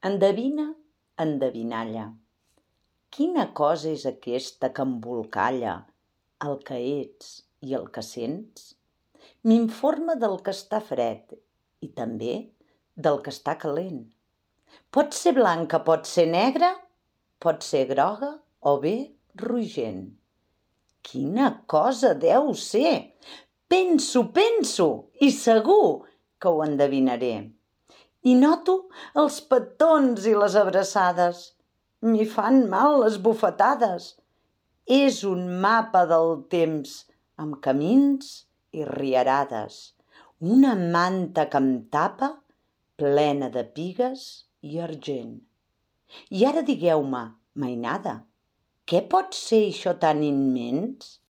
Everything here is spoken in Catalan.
Endevina, endevinalla. Quina cosa és aquesta que embolcalla el que ets i el que sents? M'informa del que està fred i també del que està calent. Pot ser blanca, pot ser negra, pot ser groga o bé rogent. Quina cosa deu ser? Penso i segur que ho endevinaré. I noto els petons i les abraçades. M'hi fan mal les bufetades. És un mapa del temps amb camins i riarades. Una manta que em tapa plena de pigues i argent. I ara digueu-me, mainada, què pot ser això tan immens?